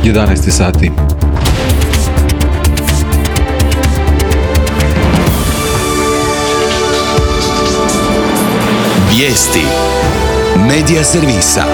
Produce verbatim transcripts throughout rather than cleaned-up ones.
jedanaest sati. Vijesti Medija servisa.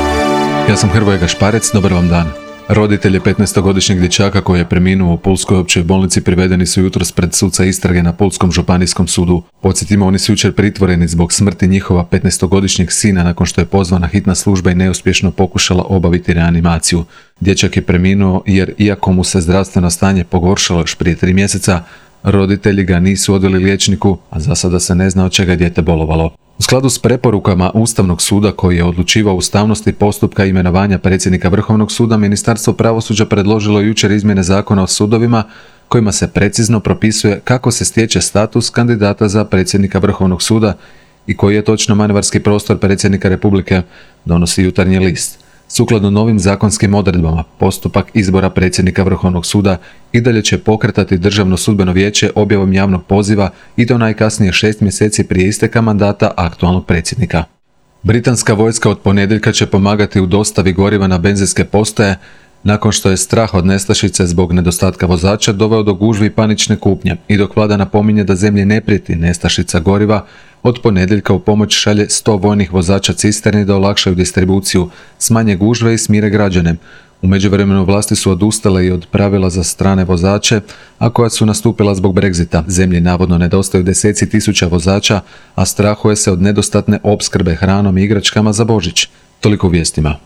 Ja sam Hrvoje Gašparec, dobar vam dan. Roditelji petnaestogodišnjeg dječaka koji je preminuo u Pulskoj općoj bolnici privedeni su jutros pred suca istrage na Pulskom županijskom sudu. Podsjetimo, oni su jučer pritvoreni zbog smrti njihova petnaestogodišnjeg sina nakon što je pozvana hitna služba i neuspješno pokušala obaviti reanimaciju. Dječak je preminuo jer, iako mu se zdravstveno stanje pogoršalo još prije tri mjeseca, roditelji ga nisu odveli liječniku, a za sada se ne zna od čega je dijete bolovalo. U skladu s preporukama Ustavnog suda koji je odlučivao o ustavnosti postupka imenovanja predsjednika Vrhovnog suda, Ministarstvo pravosuđa predložilo jučer izmjene Zakona o sudovima kojima se precizno propisuje kako se stječe status kandidata za predsjednika Vrhovnog suda i koji je točno manevarski prostor predsjednika Republike, donosi Jutarnji list. Sukladno novim zakonskim odredbama, postupak izbora predsjednika Vrhovnog suda i dalje će pokretati Državno sudbeno vijeće objavom javnog poziva i to najkasnije šest mjeseci prije isteka mandata aktualnog predsjednika. Britanska vojska od ponedjeljka će pomagati u dostavi goriva na benzinske postaje nakon što je strah od nestašice zbog nedostatka vozača doveo do gužvi i panične kupnje i dok vlada napominje da zemlji ne prijeti nestašica goriva, od ponedjeljka u pomoć šalje sto vojnih vozača cisterni da olakšaju distribuciju, smanje gužve i smire građane. U međuvremenu vlasti su odustale i od pravila za strane vozače, a koja su nastupila zbog Brexita. Zemlji navodno nedostaju deseci tisuća vozača, a strahuje se od nedostatne opskrbe hranom i igračkama za Božić. Toliko u vijestima.